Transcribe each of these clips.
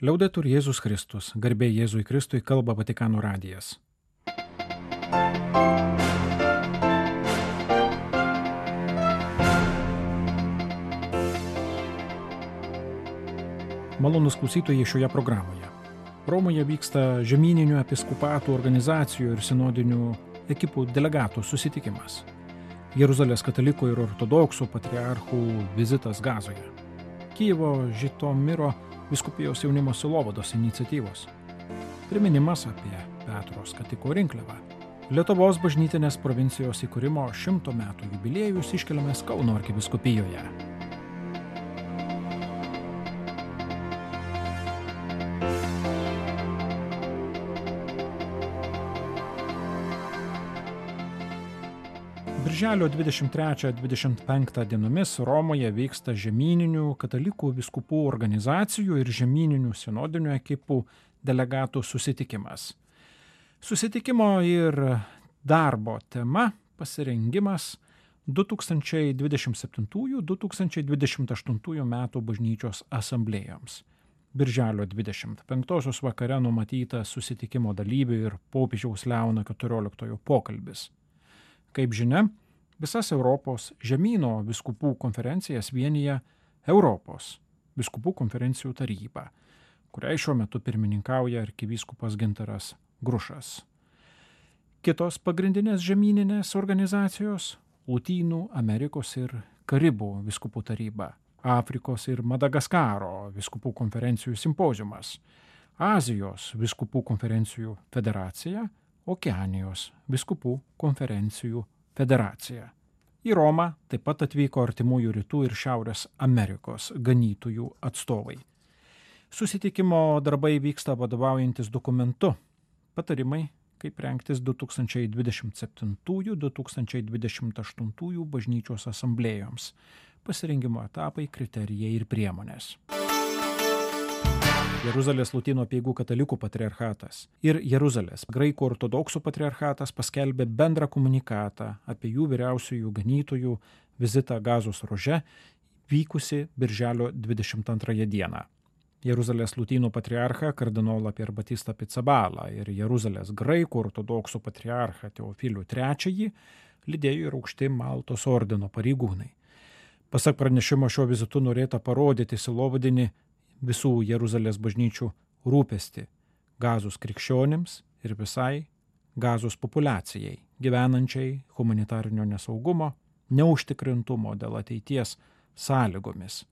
Liaudetur Jėzus Kristus, garbė Jėzui Kristui, kalba Vatikano radijas. Malonūs klausytojai šioje programoje. Romoje vyksta žemyninių episkopatų organizacijų ir sinodinių ekipų delegatų susitikimas. Jeruzalės katalikų ir ortodoksų patriarchų vizitas Gazoje. Kijevo Žitomiro vyskupijos jaunimo sielovados iniciatyvos. Priminimas apie Petro skatiko rinkliavą. Lietuvos bažnytinės provincijos įkūrimo 100 metų jubiliejus iškeliamas Kauno arkivyskupijoje. Birželio 23-25 dienomis Romoje vyksta žemyninių katalikų vyskupų organizacijų ir žemyninių sinodinių ekipų delegatų susitikimas. Susitikimo ir darbo tema pasirengimas 2027-2028 metų bažnyčios asamblėjoms. Birželio 25 vakare numatyta susitikimo dalyvių ir popiežiaus Leono XIV pokalbis. Kaip žinia, visas Europos žemyno vyskupų konferencijas vienija Europos vyskupų konferencijų taryba, kuriai šiuo metu pirmininkauja arkivyskupas Gintaras Grušas. Kitos pagrindinės žemyninės organizacijos – Lotynų Amerikos ir Karibų vyskupų taryba, Afrikos ir Madagaskaro vyskupų konferencijų simpoziumas, Azijos vyskupų konferencijų federacija, Okeanijos vyskupų konferencijų federacija. Į Romą taip pat atvyko Artimųjų rytų ir Šiaurės Amerikos ganytojų atstovai. Susitikimo darbai vyksta vadovaujantis dokumentu Patarimai, kaip rengtis 2027-2028 bažnyčios asamblėjoms, pasirengimo etapai, kriterijai ir priemonės. Jeruzalės Lotynų apeigų katalikų patriarchatas ir Jeruzalės graikų ortodoksų patriarchatas paskelbė bendrą komunikatą apie jų vyriausiųjų ganytojų vizitą Gazos ruože vykusi birželio 22 dieną. Jeruzalės Lotynų patriarchą kardinolą Pier Batistą Pizzabalą ir Jeruzalės graikų ortodoksų patriarchą Teofilių III lydėjo ir aukšti Maltos ordino pareigūnai. Pasak pranešimo, šio vizitu norėta parodyti sielovadinį visų Jeruzalės bažnyčių rūpestį Gazos krikščionims ir visai Gazos populiacijai, gyvenančiai humanitarinio nesaugumo, neužtikrintumo dėl ateities sąlygomis.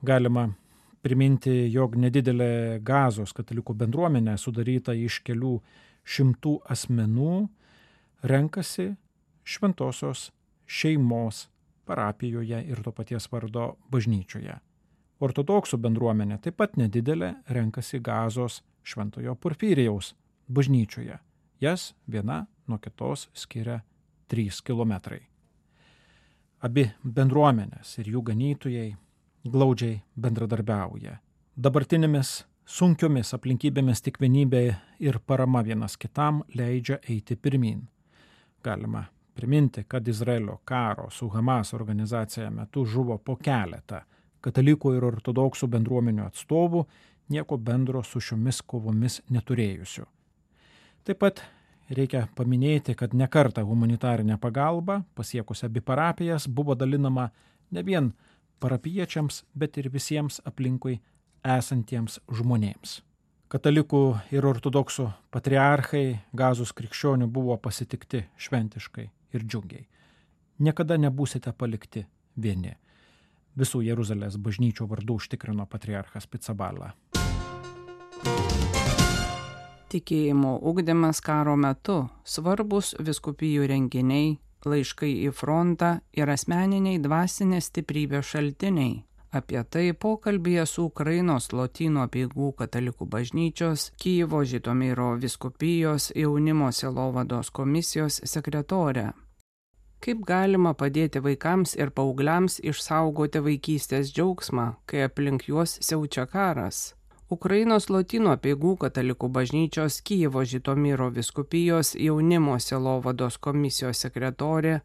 Galima priminti, jog nedidelė Gazos katalikų bendruomenė sudaryta iš kelių šimtų asmenų renkasi šventosios šeimos parapijoje ir to paties vardo bažnyčioje. Ortodoksų bendruomenė taip pat nedidelė renkasi Gazos Šventojo Porfirijaus bažnyčioje. Jas viena nuo kitos skiria 3 kilometrai. Abi bendruomenės ir jų ganytojai glaudžiai bendradarbiauja. Dabartinėmis sunkiomis aplinkybėmis tik vienybė ir parama vienas kitam leidžia eiti pirmyn. Galima priminti, kad Izraelio karo su Hamas organizacija metu žuvo po keletą katalikų ir ortodoksų bendruomenių atstovų, nieko bendro su šiomis kovomis neturėjusių. Taip pat reikia paminėti, kad nekartą humanitarinė pagalba pasiekusi abi parapijas buvo dalinama ne vien parapiečiams, bet ir visiems aplinkui esantiems žmonėms. Katalikų ir ortodoksų patriarchai Gazos krikščionių buvo pasitikti šventiškai ir džiugiai. Niekada nebūsite palikti vieni. Visų Jeruzalės bažnyčių vardu užtikrino patriarchas Pizzabala. Tikėjimo ugdymas karo metu, svarbus vyskupijų renginiai, laiškai į frontą ir asmeniniai dvasinės stiprybės šaltiniai. Apie tai pokalbyje su Ukrainos Lotynų apeigų katalikų bažnyčios Kijevo Žitomiro vyskupijos jaunimo sielovados komisijos sekretorė. Kaip galima padėti vaikams ir paaugliams išsaugoti vaikystės džiaugsmą, kai aplink juos siaučia karas? Ukrainos Lotynų apeigų katalikų bažnyčios Kijevo Žitomiro vyskupijos jaunimo sielovados komisijos sekretorė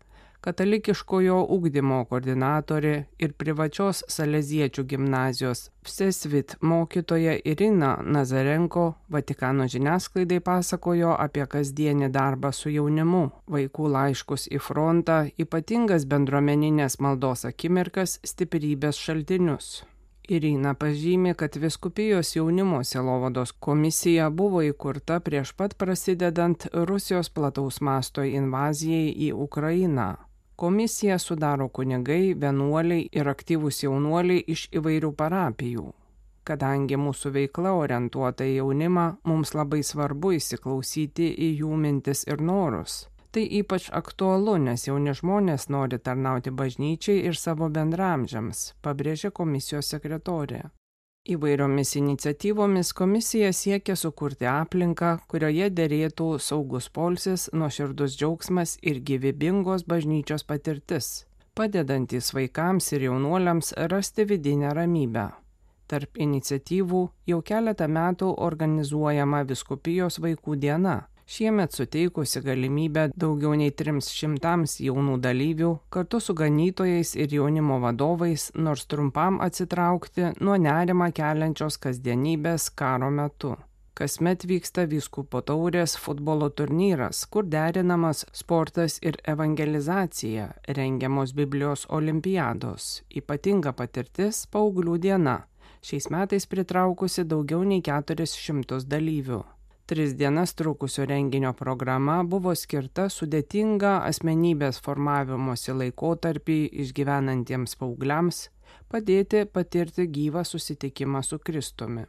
katalikiškojo ugdymo koordinatorė ir privačios saleziečių gimnazijos Vsesvit mokytoja Irina Nazarenko Vatikano žiniasklaidai pasakojo apie kasdienį darbą su jaunimu, vaikų laiškus į frontą, ypatingas bendruomeninės maldos akimirkas, stiprybės šaltinius. Irina pažymė, kad Vyskupijos jaunimo sielovados komisija buvo įkurta prieš pat prasidedant Rusijos plataus masto invazijai į Ukrainą. Komisiją sudaro kunigai, vienuoliai ir aktyvūs jaunuoliai iš įvairių parapijų. Kadangi mūsų veikla orientuota į jaunimą, mums labai svarbu įsiklausyti į jų mintis ir norus. Tai ypač aktualu, nes jauni žmonės nori tarnauti bažnyčiai ir savo bendramžiams, pabrėžė komisijos sekretorė. Įvairiomis iniciatyvomis komisija siekia sukurti aplinką, kurioje derėtų saugus poilsis, nuoširdus džiaugsmas ir gyvybingos bažnyčios patirtis, padedantys vaikams ir jaunuoliams rasti vidinę ramybę. Tarp iniciatyvų jau keletą metų organizuojama Vyskupijos vaikų diena. Šiemet suteikusi galimybę daugiau nei 300 jaunų dalyvių kartu su ganytojais ir jaunimo vadovais nors trumpam atsitraukti nuo nerimą keliančios kasdienybės karo metu. Kasmet vyksta Vyskupo taurės futbolo turnyras, kur derinamas sportas ir evangelizacija, rengiamos Biblijos olimpiados, ypatinga patirtis paauglių diena, šiais metais pritraukusi daugiau nei 400 dalyvių. 3 dienas trukusio renginio programa buvo skirta sudėtinga asmenybės formavimosi laikotarpį išgyvenantiems paaugliams, padėti patirti gyvą susitikimą su Kristumi.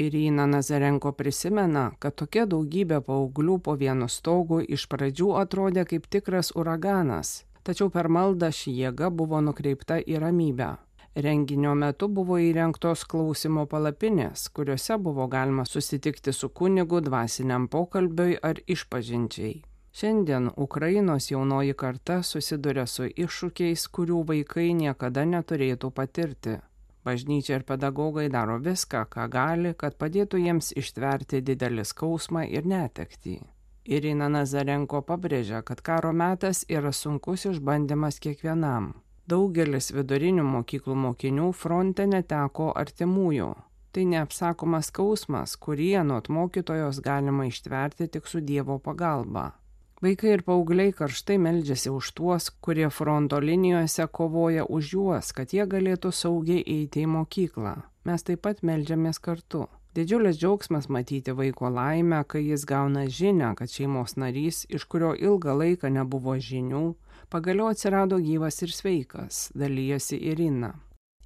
Irina Nazarenko prisimena, kad tokia daugybė paauglių po vienu stogu iš pradžių atrodė kaip tikras uraganas, tačiau per maldą ši jėga buvo nukreipta į ramybę. Renginio metu buvo įrengtos klausimo palapinės, kuriuose buvo galima susitikti su kunigu dvasiniam pokalbiui ar išpažinčiai. Šiandien Ukrainos jaunoji karta susiduria su iššūkiais, kurių vaikai niekada neturėtų patirti. Bažnyčia ir pedagogai daro viską, ką gali, kad padėtų jiems ištverti didelį skausmą ir netektį. Irina Nazarenko pabrėžia, kad karo metas yra sunkus išbandymas kiekvienam. Daugelis vidurinių mokyklų mokinių fronte neteko artimųjų. Tai neapsakomas skausmas, kurį anot mokytojos galima ištverti tik su Dievo pagalba. Vaikai ir paaugliai karštai meldžiasi už tuos, kurie fronto linijose kovoja už juos, kad jie galėtų saugiai eiti į mokyklą. Mes taip pat meldžiamės kartu. Didžiulis džiaugsmas matyti vaiko laimę, kai jis gauna žinią, kad šeimos narys, iš kurio ilgą laiką nebuvo žinių, pagaliau atsirado gyvas ir sveikas, dalyjasi Irina.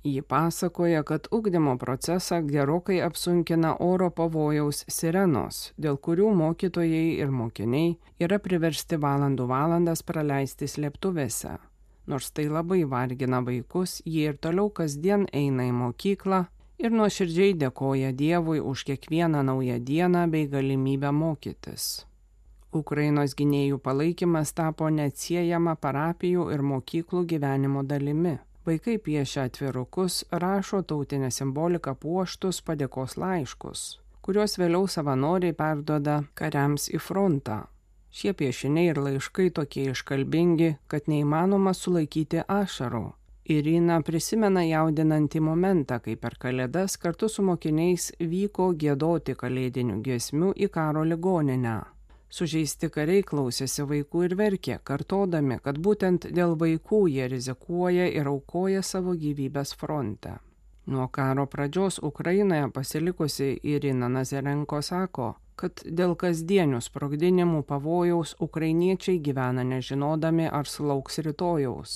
Ji pasakoja, kad ugdymo procesą gerokai apsunkina oro pavojaus sirenos, dėl kurių mokytojai ir mokiniai yra priversti valandas praleisti slėptuvėse. Nors tai labai vargina vaikus, jie ir toliau kasdien eina į mokyklą ir nuoširdžiai dėkoja Dievui už kiekvieną naują dieną bei galimybę mokytis. Ukrainos gynėjų palaikymas tapo neatsiejama parapijų ir mokyklų gyvenimo dalimi. Vaikai piešia atvirukus, rašo tautinę simboliką puoštus padėkos laiškus, kuriuos vėliau savanoriai perduoda kariams į frontą. Šie piešiniai ir laiškai tokie iškalbingi, kad neįmanoma sulaikyti ašarų. Irina prisimena jaudinantį momentą, kai per Kalėdas kartu su mokiniais vyko giedoti kalėdinių giesmių į karo ligoninę. Sužeisti kariai klausėsi vaikų ir verkė, kartodami, kad būtent dėl vaikų jie rizikuoja ir aukoja savo gyvybės fronte. Nuo karo pradžios Ukrainoje pasilikusi Irina Nazarenko sako, kad dėl kasdienių sprogdinimų pavojaus ukrainiečiai gyvena nežinodami, ar sulauks rytojaus.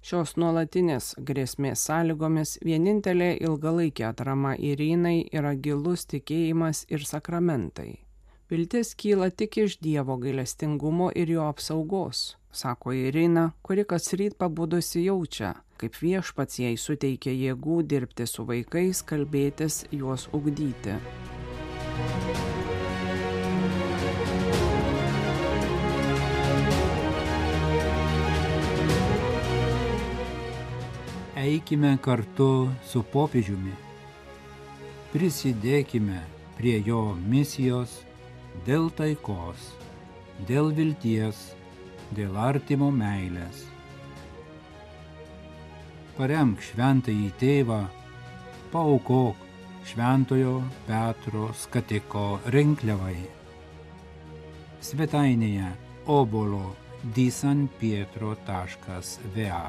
Šios nuolatinės grėsmės sąlygomis vienintelė ilgalaikė atrama Irinai yra gilus tikėjimas ir sakramentai. Viltis kyla tik iš Dievo gailestingumo ir jo apsaugos, sako Irina, kuri kasryt pabudusi jaučia, kaip Viešpats jai suteikia jėgų dirbti su vaikais, kalbėtis, juos ugdyti. Eikime kartu su popiežiumi, prisidėkime prie jo misijos dėl taikos, dėl vilties, dėl artimo meilės, paremk šventąjį tėvą, paaukok Šventojo Petro skatiko rinkliavai. Svetainėje obolo.disanpietro.va.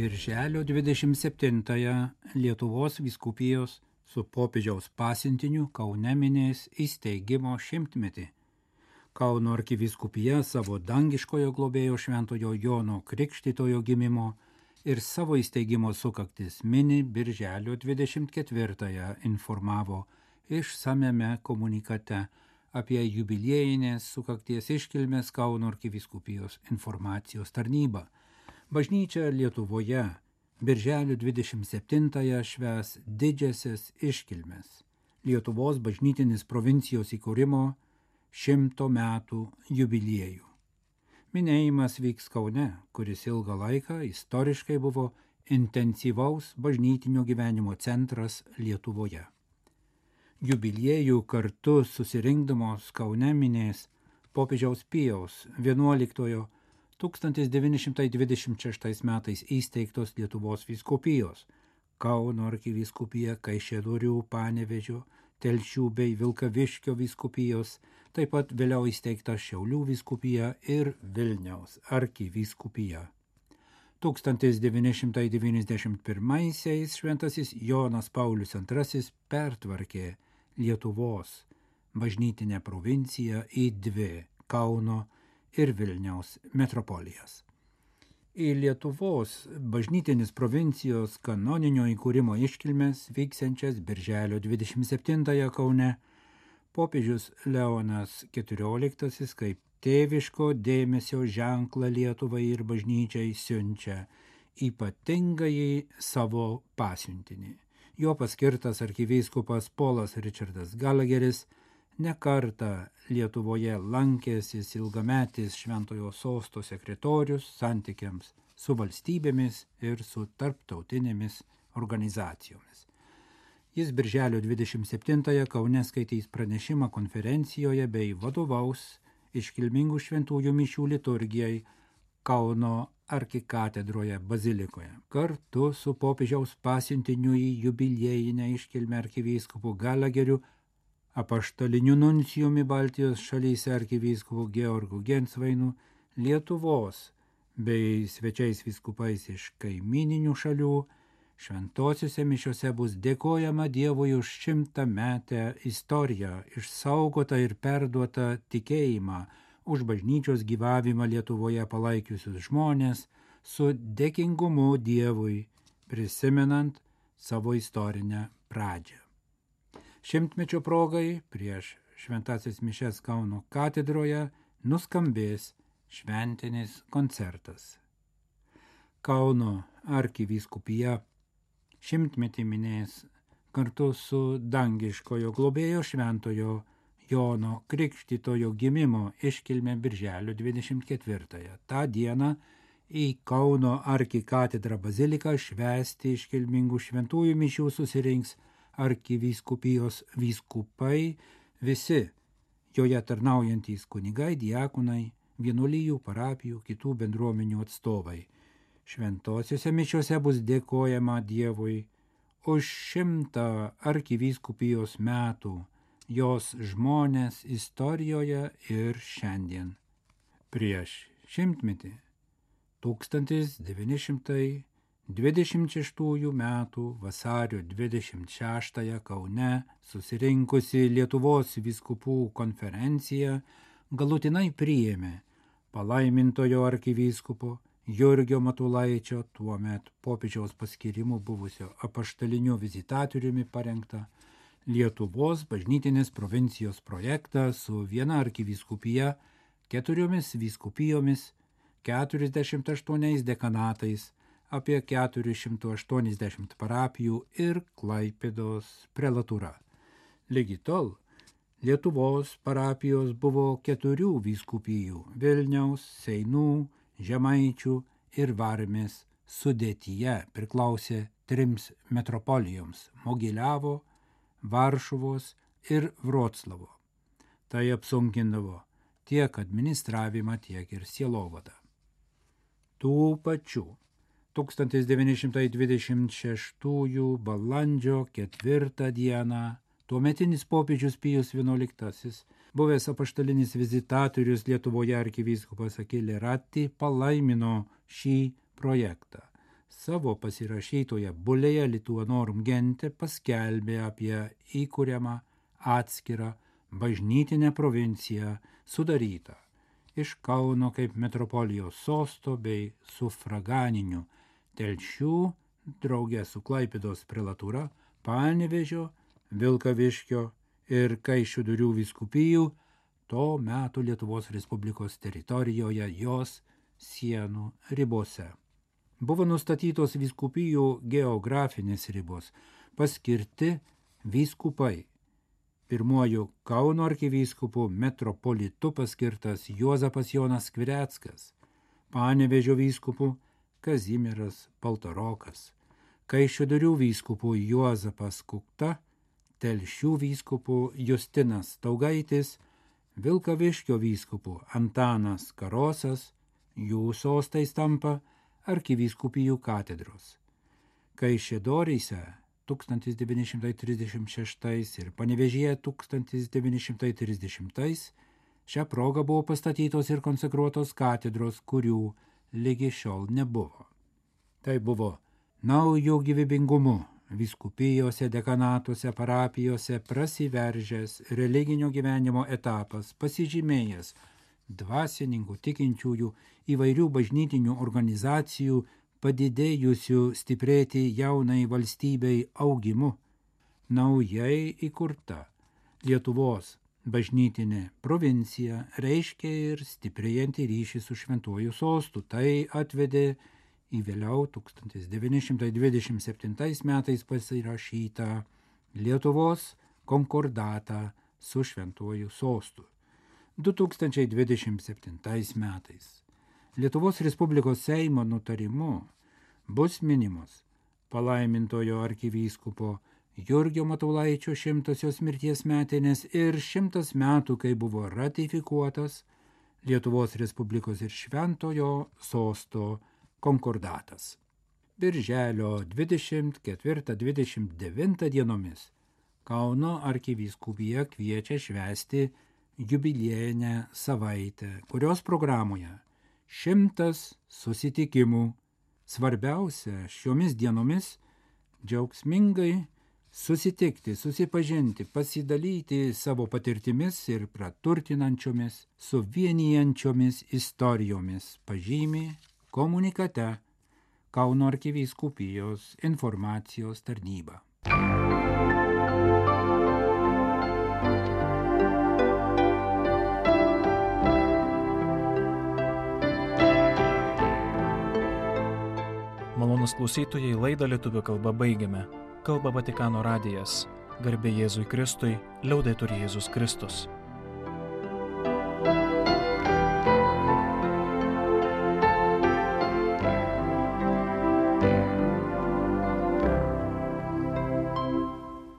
Birželio 27-ąją Lietuvos vyskupijos su popiežiaus pasiuntiniu Kaune minės įsteigimo 100-metį. Kauno arkivyskupija savo dangiškojo globėjo Šventojo Jono Krikštytojo gimimo ir savo įsteigimo sukaktis mini Birželio 24-ąją informavo išsamiame komunikate apie jubiliejinės sukakties iškilmės Kauno arkivyskupijos informacijos tarnybą. Bažnyčia Lietuvoje Birželio 27-ąją švęs didžiasias iškilmes Lietuvos bažnytinis provincijos įkūrimo 100 metų jubiliejų. Minėjimas vyks Kaune, kuris ilgą laiką istoriškai buvo intensyvaus bažnytinio gyvenimo centras Lietuvoje. Jubiliejų kartu susirinkdamos Kaune minės popiežiaus Pijaus XI 1926 metais įsteigtos Lietuvos vyskupijos, Kauno arkivyskupija, Kaišiadorių, Panevėžio, Telšių bei Vilkaviškio vyskupijos, taip pat vėliau įsteigta Šiaulių vyskupija ir Vilniaus arkivyskupija. 1991-aisiais šventasis Jonas Paulius II pertvarkė Lietuvos bažnytinę provinciją į 2 Kauno ir Vilniaus metropolijas. Į Lietuvos bažnytinis provincijos kanoninio įkūrimo iškilmes vyksiančias Birželio 27-ąją Kaune popiežius Leonas XIV kaip tėviško dėmesio ženklą Lietuvai ir bažnyčiai siunčia ypatingąjį savo pasiuntinį. Jo paskirtas arkivyskupas Polas Richardas Gallagheris ne kartą Lietuvoje lankėsis ilgametis Šventojo sosto sekretorius santykiams su valstybėmis ir su tarptautinėmis organizacijomis. Jis Birželio 27-ąją Kaune skaitys pranešimą konferencijoje bei vadovaus iškilmingų šventųjų mišių liturgijai Kauno arkikatedroje bazilikoje. Kartu su popiežiaus pasiuntiniu į jubiliejinę iškilmę arkivyskupu Gallagheriu, apaštaliniu nuncijumi Baltijos šalyse arkivyskupu Georgu Gensvainu, Lietuvos bei svečiais vyskupais iš kaimyninių šalių, šventosiuose mišiose bus dėkojama Dievui už 100-metę istoriją, išsaugotą ir perduotą tikėjimą, už bažnyčios gyvavimą Lietuvoje palaikiusius žmonės, su dėkingumu Dievui, prisimenant savo istorinę pradžią. 100-mečio progai prieš šventąsias mišias Kauno katedroje nuskambės šventinis koncertas. Kauno arkivyskupija 100-metį minės kartu su dangiškojo globėjo Šventojo Jono Krikštytojo gimimo iškilme Birželio 24-ąją. Ta diena į Kauno arkikatedrą baziliką švęsti iškilmingų šventųjų mišių susirinks arkivyskupijos vyskupai, visi joje tarnaujantys kunigai, diakonai, vienuolijų, parapijų, kitų bendruomenių atstovai. Šventosiuose mišiuose bus dėkojama Dievui už 100 arkivyskupijos metų, jos žmonės istorijoje ir šiandien. Prieš 100-metį 1926 metų vasario 26 Kaune susirinkusi Lietuvos vyskupų konferencija galutinai priėmė palaimintojo arkivyskupo Jurgio Matulaičio, tuomet popiežiaus paskirimu buvusio apaštaliniu vizitatoriumi parengtą Lietuvos bažnytinės provincijos projektą su viena arkivyskupija, 4 vyskupijomis, 48 dekanatais, apie 480 parapijų ir Klaipėdos prelatūra. Lygi tol Lietuvos parapijos buvo 4 vyskupijų – Vilniaus, Seinų, Žemaičių ir Varmės sudėtyje priklausė 3 metropolijoms – Mogiliavo, Varšuvos ir Vroclavo. Tai apsunkindavo tiek administravimą, tiek ir sielovadą. Tų pačių 1926 balandžio 4 dieną tuometinis popiežius Pijus XI, buvęs apaštalinis vizitatorius Lietuvoje arkivyskupas Achille Ratti, palaimino šį projektą. Savo pasirašytoje bulėje Lituanorum Gente paskelbė apie įkuriamą atskirą bažnytinę provinciją sudarytą iš Kauno kaip metropolijos sosto bei sufraganinių Telšių, drauge su Klaipėdos prelatūra, Panevėžio, Vilkaviškio ir Kaišiadorių vyskupijų to meto Lietuvos Respublikos teritorijoje jos sienų ribose. Buvo nustatytos vyskupijų geografinės ribos, paskirti vyskupai. Pirmuoju Kauno arkivyskupu metropolitu paskirtas Juozapas Jonas Skvireckas, Panevėžio vyskupu Kazimieras Paltarokas, Kaišiadorių vyskupu Juozapas Kukta, Telšių vyskupu Justinas Taugaitis, Vilkaviškio vyskupu Antanas Karosas, jų sostais tampa arkivyskupijų katedros. Kaišiadoryse 1936 ir Panevėžyje 1930 šią progą buvo pastatytos ir konsekruotos katedros, kurių lygi šiol nebuvo. Tai buvo naujo gyvybingumu vyskupijose, dekanatuose, parapijose prasiveržęs religinio gyvenimo etapas, pasižymėjęs dvasininkų, tikinčiųjų, įvairių bažnytinių organizacijų padidėjusių stiprėti jaunai valstybei augimu. Naujai įkurta Lietuvos bažnytinė provincija reiškia ir stiprėjantį ryšį su šventuoju sostu. Tai atvedė į vėliau 1927 metais pasirašytą Lietuvos konkordatą su šventuoju sostu. 2027 metais Lietuvos Respublikos Seimo nutarimu bus minimos palaimintojo arkivyskupo Jurgio Matulaičio 100-osios mirties metinės ir 100 metų, kai buvo ratifikuotas Lietuvos Respublikos ir šventojo sosto konkordatas. Birželio 24-29 dienomis Kauno arkivyskupija kviečia švęsti jubiliejinę savaitę, kurios programoje 100 susitikimų. Svarbiausia šiomis dienomis džiaugsmingai susitikti, susipažinti, pasidalyti savo patirtimis ir praturtinančiomis, suvienijančiomis istorijomis, pažymi komunikate Kauno arkivyskupijos informacijos tarnyba. Malonūs klausytojai, laidą lietuvių kalba baigiame. Kalba Vatikano radijas. Garbė Jėzui Kristui, liaudetur Jėzus Kristus.